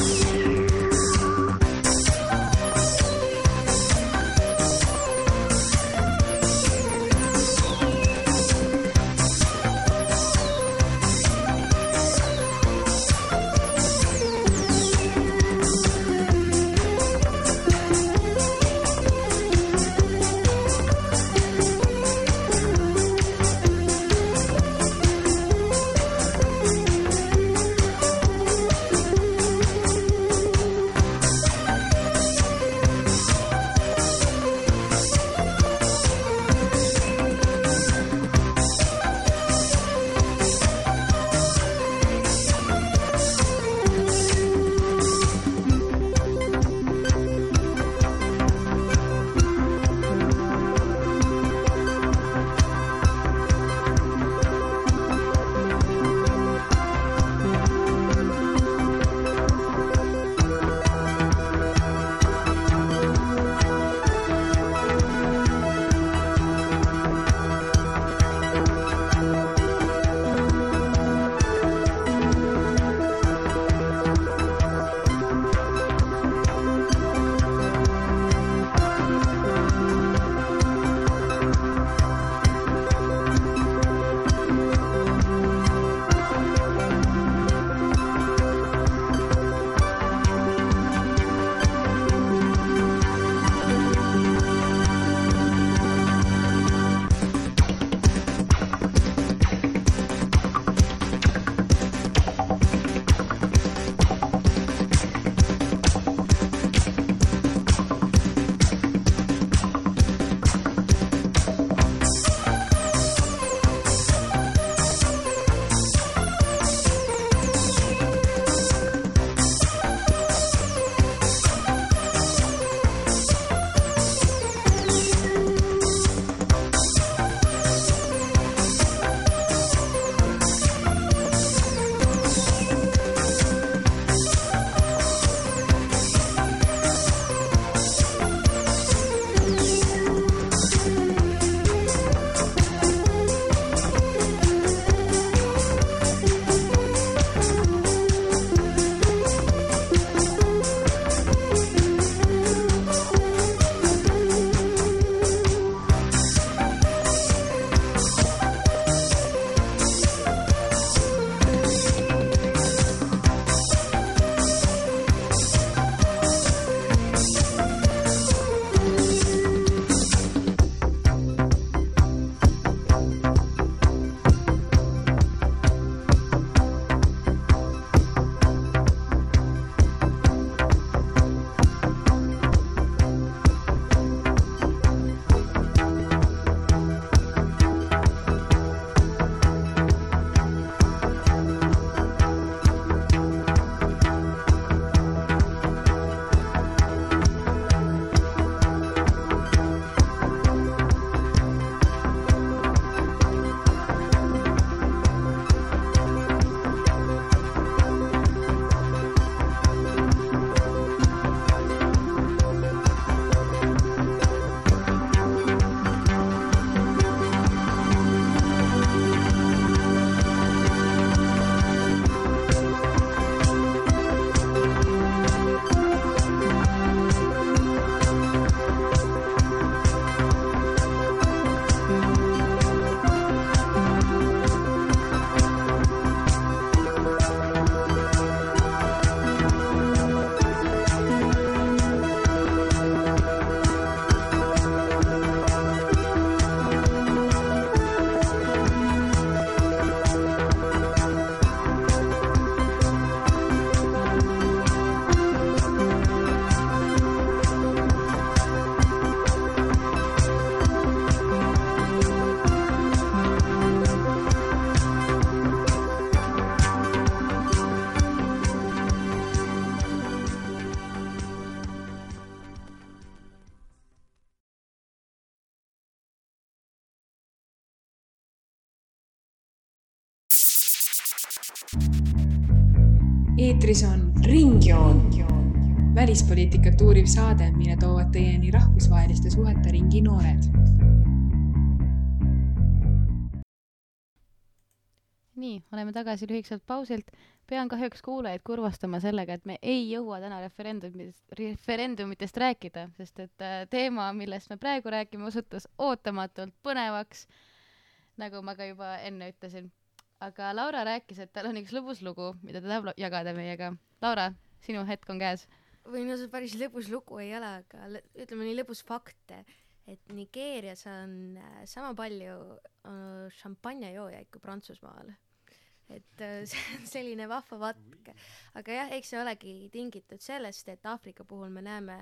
A: Eetris on Ringjoon, välispoliitikat uuriv saade, mille toovad teieni rahvusvaheliste suhete ringi noored.
B: Nii, oleme tagasi lühikselt pausilt. Pean kahjuks kuulajaid kurvastama sellega, et me ei jõua täna referendumitest, referendumitest rääkida, sest et teema, millest me praegu räägime, osutus ootamatult põnevaks, nagu ma ka juba enne ütlesin. Aga Laura rääkis, et tal on üks lõbus lugu, mida ta tahab jagada meiega. Laura, sinu hetk on käes.
D: Või no see päris lõbus lugu ei ole, aga ütleme nii lõbus fakte, et Nigeerias on sama palju šampanjajoojaid kui Prantsusmaal. Et see on selline vahva vatk. Aga jah, eks see olegi tingitud sellest, et Aafrika puhul me näeme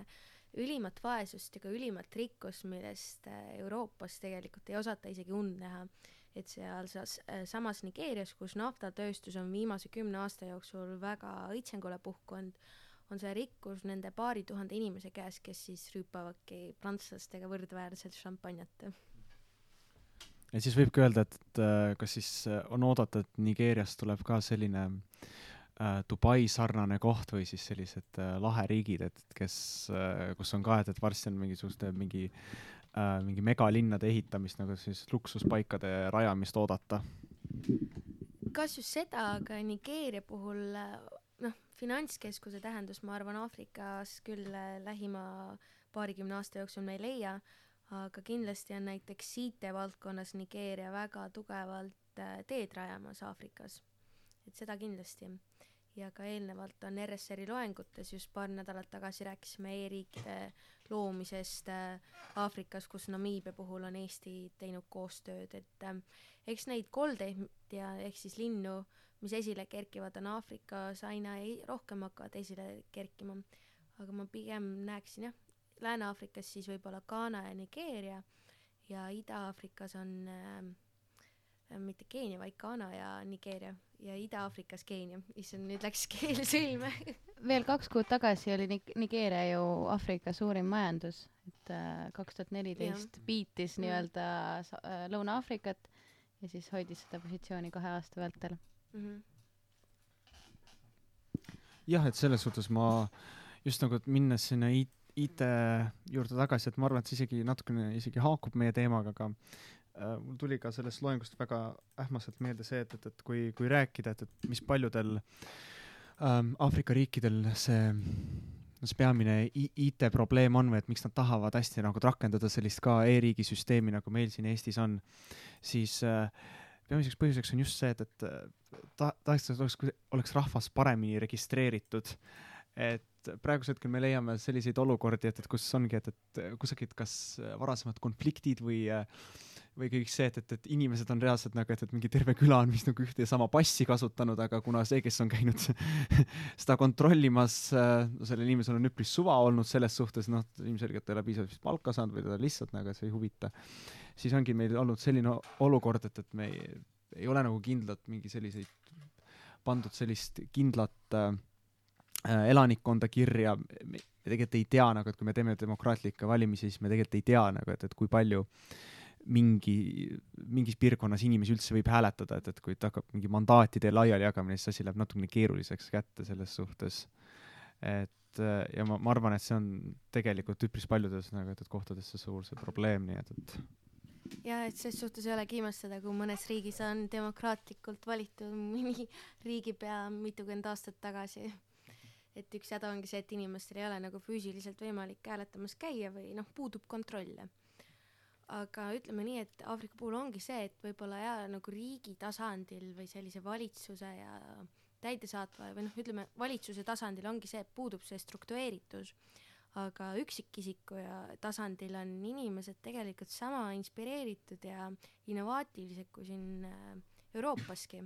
D: ülimat vaesust ja ka ülimat rikkust, millest Euroopas tegelikult ei osata isegi und näha. Et seal samas Nigeerias, kus naftatööstus on viimase kümne aasta jooksul väga õitsengule puhkunud, on see rikkus nende paari tuhande inimese käes, kes siis rüüpavadki prantslastega võrdväärselt šampanjat.
C: Ja siis võibki öelda, et kas siis on oodata, et Nigeeriast tuleb ka selline äh, Dubai sarnane koht või siis sellised äh, laheriigid, et kes, äh, kus on ka, et, et varsti on mingisuguste mingi äh, mingi megalinnade ehitamist, nagu siis luksuspaikade rajamist oodata.
D: Kas just seda, aga Nigeeria puhul noh, finantskeskuse tähendus, ma arvan, Aafrikas küll lähima paarikümne aasta jooksul me ei leia, aga kindlasti on näiteks I T valdkonnas Nigeeria väga tugevalt teed rajamas Aafrikas. Et seda kindlasti. Ja ka eelnevalt on R S R-i loengutes just paar nädalat tagasi rääkisime e-riikide loomisest Aafrikas, kus Namiibia puhul on Eesti teinud koostööd. Et eks neid koldeid ja ehk siis linnu, mis esile kerkivad, on Aafrikas aina ei, rohkem hakkavad esile kerkima. Aga ma pigem näeksin, jah, Lääne-Aafrikas siis võib-olla Ghana ja Nigeeria ja Ida-Aafrikas on äh, mitte Keenia, vaid Ghana ja Nigeeria ja Ida-Aafrikas Keenia. Issand, nüüd läks keel sõlme.
B: Veel kaks kuud tagasi oli Nigeeria ju Aafrika suurim majandus, et äh, kaks tuhat neliteist biitis nii-öelda äh, Lõuna-Aafrikat ja siis hoidis seda positsiooni kahe aasta vältel. Mm-hmm.
C: Jah, et selles suhtes ma just nagu minnes sinna I T I T juurde tagasi, et ma arvan, et see isegi natukene isegi haakub meie teemaga, aga äh, mul tuli ka sellest loengust väga ähmaselt meelde see, et, et, et kui, kui rääkida, et, et mis paljudel ähm, Aafrika riikidel see, see peamine I T probleem on või et miks nad tahavad hästi nagu rakendada sellist ka e-riigi süsteemi, nagu meil siin Eestis on, siis äh, peamiseks põhjuseks on just see, et, et ta, tahaks, et oleks, oleks rahvas paremini registreeritud. Et praegusel hetkel me leiame selliseid olukordi, et, et kus ongi, et, et kusagid kas varasemad konfliktid või, või kõik see, et, et, et inimesed on reaalselt nagu, et, et mingi terve küla on vist nagu ühte ja sama passi kasutanud, aga kuna see, kes on käinud seda kontrollimas, no sellel inimesel on üpris suva olnud selles suhtes, noh, ilmselgelt ei ole piisavalt palka saanud või teda lihtsalt nagu see ei huvita, siis ongi meil olnud selline olukord, et, et me ei, ei ole nagu kindlalt mingi selliseid pandud sellist kindlat äh, elanikkonda kirja, me tegelikult ei tea nagu, et kui me teeme demokraatlikke valimisi, siis me tegelikult ei tea nagu, et, et kui palju mingi, mingis piirkonnas inimesi üldse võib hääletada, et, et kui ta hakkab mingi mandaatide laiali jagamine, siis asi läheb natukene keeruliseks kätte selles suhtes. Et ja ma, ma arvan, et see on tegelikult üpris paljudes nagu, et, et kohtades see suur see probleem, nii et, et
D: ja, et selles suhtes ei ole kiimastada, kui mõnes riigis on demokraatlikult valitud mõni riigipea mitukümmend aastat tagasi. Et üks häda ongi see, et inimestel ei ole nagu füüsiliselt võimalik hääletamas käia või noh, puudub kontrolle. Aga ütleme nii, et Aafrika puhul ongi see, et võib-olla ja nagu riigi tasandil või sellise valitsuse ja täidesaatva või noh, ütleme valitsuse tasandil ongi see, et puudub see struktureeritus. Aga üksikisiku ja tasandil on inimesed tegelikult sama inspireeritud ja innovaatilised kui siin Euroopaski.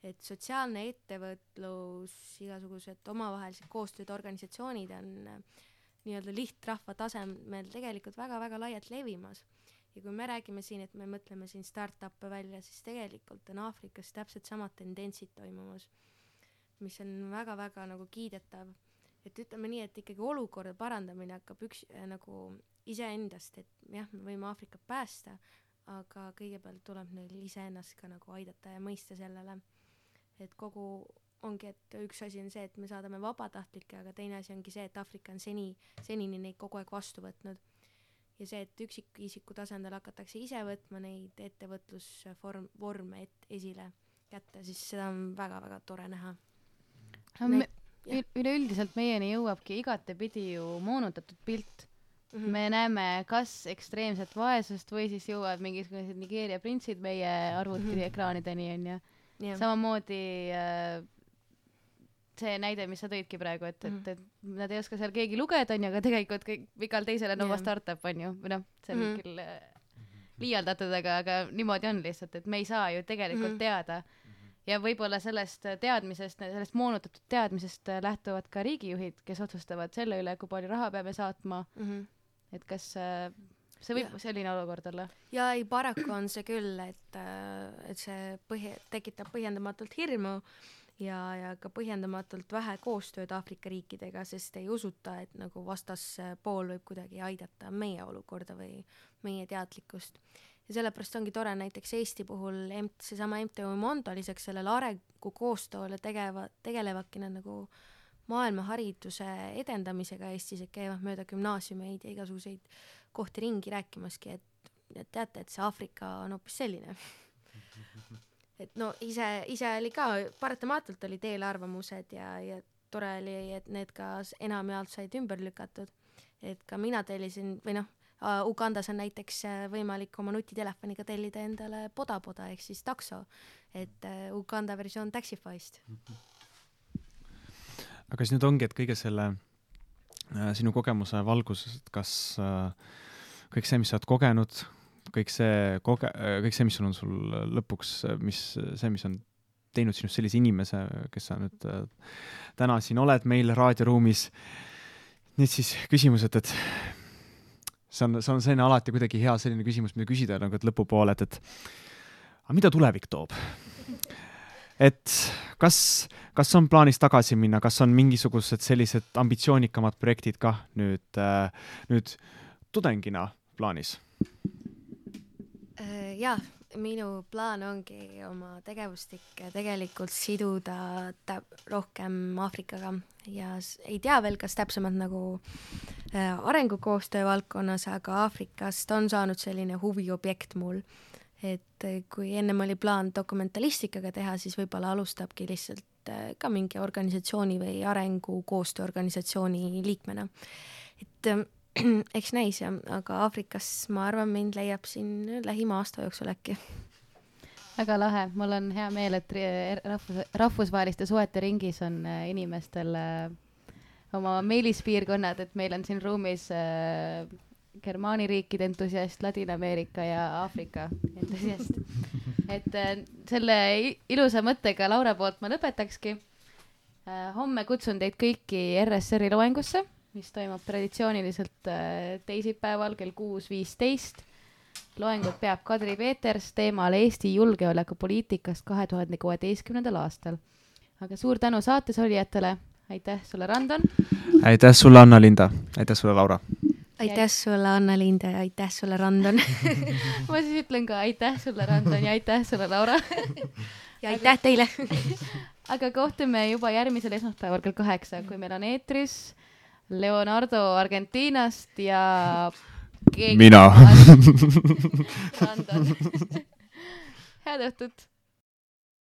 D: Et sotsiaalne ettevõtlus, igasugused omavahelised koostööd organisatsioonid on nii-öelda lihtrahva tasemel tegelikult väga-väga laialt levimas. Ja kui me räägime siin, et me mõtleme siin start-up'e välja, siis tegelikult on Aafrikas täpselt samad tendentsid toimumas, mis on väga-väga nagu kiidetav. Et ütleme nii, et ikkagi olukorda parandamine hakkab üks nagu iseendast, et jah, me võime Aafrikat päästa, aga kõigepealt tuleb neil iseennast ka nagu aidata ja mõista sellele. et kogu ongi, et üks asi on see, et me saadame vabatahtlikke, aga teine asi ongi see, et Aafrika on seni, senini neid kogu aeg vastu võtnud. Ja see, et üksikisiku tasandil hakatakse ise võtma neid ettevõtlusvorm, vorme et esile kätte, siis seda on väga-väga tore näha.
B: No, me, üleüldiselt meieni jõuabki igatepidi ju moonutatud pilt. Mm-hmm. Me näeme kas ekstreemset vaesust või siis jõuavad mingisugused Nigeeria printsid meie arvuti mm-hmm. ekraanideni on ju. Yeah. Samamoodi äh, see näide, mis sa tõidki praegu, et, et, et nad ei oska seal keegi lugeda, on ju, aga tegelikult kõik, igal teisel on oma startup, on ju, või noh, see on mm-hmm. küll äh, liialdatud, aga, aga niimoodi on lihtsalt, et me ei saa ju tegelikult mm-hmm. teada. Ja võib-olla sellest teadmisest, sellest moonutatud teadmisest lähtuvad ka riigijuhid, kes otsustavad selle üle, kui palju raha peame saatma, mm-hmm. et kas äh, see võib ja. selline olukord olla?
D: Ja ei, paraku on see küll, et, et see põhi, tekitab põhjendamatult hirmu, ja, ja ka põhjendamatult vähe koostööd Aafrika riikidega, sest ei usuta, et nagu vastaspool võib kuidagi aidata meie olukorda või meie teadlikkust. Ja sellepärast ongi tore näiteks Eesti puhul seesama M T U Mondo lisaks sellele arengu koostööle tegeva, tegelevadki nad nagu maailmahariduse edendamisega Eestis, et käivad mööda gümnaasiumeid ja igasuguseid kohti ringi rääkimaski, et, et teate, et see Aafrika on hoopis selline. Et no ise, ise oli ka, paratamatult oli teelarvamused ja, ja tore oli, et need ka enamjaolt said ümber lükatud. Et ka mina tellisin, või noh, Ugandas on näiteks võimalik oma nutitelefoniga tellida endale poda-poda, ehk siis takso, et Uganda versioon Taxify'st.
C: Aga siis nüüd ongi, et kõige selle äh, sinu kogemuse valguses, et kas äh, kõik see, mis sa oled kogenud, kõik see, koge-, kõik see, mis sul on sul lõpuks, mis, see, mis on teinud sinust sellise inimese, kes sa nüüd äh, täna siin oled meil raadioruumis. Nüüd siis küsimused, et see on, see on selline alati kuidagi hea selline küsimus, mida küsida nagu, et lõpupoole, et, et aga mida tulevik toob? Et kas, kas on plaanis tagasi minna, kas on mingisugused sellised ambitsioonikamad projektid ka nüüd, äh, nüüd tudengina plaanis?
D: Jaa, minu plaan ongi oma tegevustik tegelikult siduda täp- rohkem Aafrikaga ja ei tea veel, kas täpsemalt nagu äh, arengukoostöö valdkonnas, aga Aafrikast on saanud selline huviobjekt mul, et kui ennem oli plaan dokumentalistikaga teha, siis võib-olla alustabki lihtsalt äh, ka mingi organisatsiooni või arengukoostööorganisatsiooni liikmena. Et äh, eks näis, ja, aga Aafrikas ma arvan, mind leiab siin lähima aasta jooksul äkki.
B: Väga lahe, mul on hea meel, et rahvus, rahvusvaheliste suhete ringis on inimestel oma meelispiirkonnad, et meil on siin ruumis äh, Germaani riikide entusiast, Ladina-Ameerika ja Aafrika entusiast. Et äh, selle ilusa mõttega Laura poolt ma lõpetakski. Äh, homme kutsun teid kõiki R S R-i loengusse, mis toimub traditsiooniliselt teisipäeval kell kuus viisteist. Loengut peab Kadri Peeters teemal Eesti julgeolekupoliitikast kahe tuhande kuueteistkümnendal aastal. Aga suur tänu saates olijatele. Aitäh sulle, Randon.
C: Aitäh sulle, Anna-Linda. Aitäh sulle, Laura.
D: Aitäh sulle, Anna-Linda, ja aitäh sulle, Randon.
B: Ma siis ütlen ka aitäh sulle, Randon, ja aitäh sulle, Laura.
D: Ja aitäh teile.
B: Aga kohtume juba järgmisel esmaspäeval kell kaheksa, kui meil on eetris Leonardo Argentiinast ja keegi...
C: Mina.
B: Randon. Head õhtut.